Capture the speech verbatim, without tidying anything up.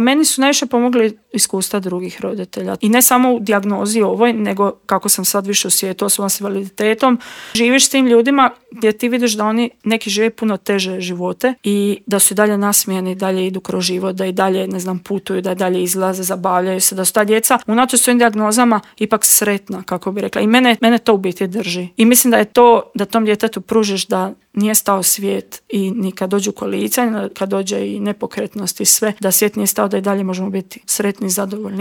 Meni su najviše pomogli iskustva drugih roditelja. I ne samo u dijagnozi ovoj, nego kako sam sad više u svijetu osoba s invaliditetom. Živiš s tim ljudima gdje ti vidiš da oni neki žive puno teže živote i da su i dalje nasmijeni, dalje idu kroz život, da i dalje, ne znam, putuju, da i dalje izlaze, zabavljaju se, da su ta djeca unatoč svojim dijagnozama ipak sretna, kako bi rekla. I mene, mene to u biti drži. I mislim da je to, da tom djetetu pružiš da nije stao svijet i ni kad dođu kolica, kad dođe i nepokretnost i sve, da svijet nije stao, da i dalje možemo biti sretni i zadovoljni.